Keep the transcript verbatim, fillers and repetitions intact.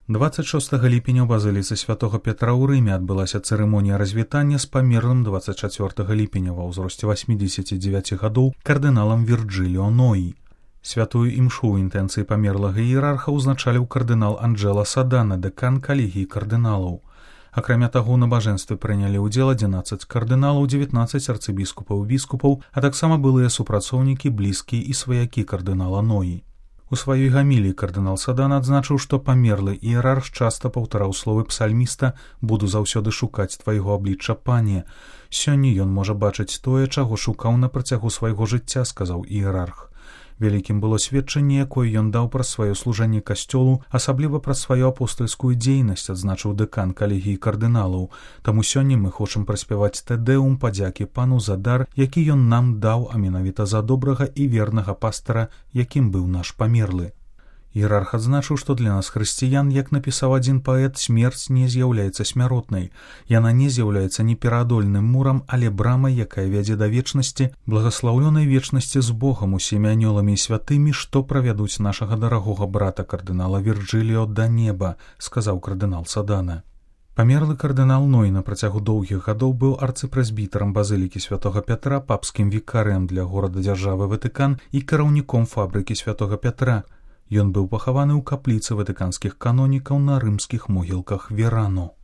дваццаць шостага ліпеня ў базыліцы святога Пятра ў Рыме адбылася цырымонія развітання з памерлым дваццаць чацвёртага ліпеня ва ўзросце васьмідзесяці дзевяці гадоў кардыналам Вірджиліо Ноі. Святую імшу ў інтэнцыі памерлага іерарха ўзначаліў кардынал Анджела Садана, дэкан калегіі кардыналаў. Акрамя таго, у набажэнстве прынялі ўдзел адзінаццаць кардыналаў, дзевятнаццаць арцыбіскупаў і біскупаў, а таксама былыя супрацоўнікі, блізкія і сваякі кардынала Ноі. У сваёй гаміліі кардынал Садан адзначыў, што памерлы іерарх часта паўтараў словы псальміста «Буду заўсёды шукаць твайго аблічча, пане». Сёння ён можа бачыць тое, чаго шукаў на працягу свайго жыцця, сказаў іерарх. Вялікім было сведчанне, якое ён даў праз сваё служэнне касцёлу, асабліва праз сваю апостальскую дзейнасць, адзначыў дэкан калегіі кардыналаў. Таму сёння мы хочам праспяваць тэдэум падзякі пану за дар, які ён нам даў, а менавіта за добрага і вернага пастара, якім быў наш памерлы. Іерарх адзначыў, што для нас хрысціян, як напісаў адзін паэт, смерць не з'яўляецца смяротнай. Яна не з'яўляецца непераадольным мурам, але брамай, якая вядзе да вечнасці, благаслаўлёнай вечнасці з Богам, усімі анёламі і святымі, што правядуць нашага дарагога брата кардынала Вірджиліо да неба, сказаў кардынал Садана. Памерлы кардынал Ной на працягу доўгіх гадоў быў арцыпрэзбітарам базылікі святога Пятра, папскім вікарыем для горада-дзяржавы Ватыкан і кіраўніком фабрыкі святога Пятра. Ён быў пахаваны ў капліцы ватыканскіх канонікаў на рымскіх могілках Верано.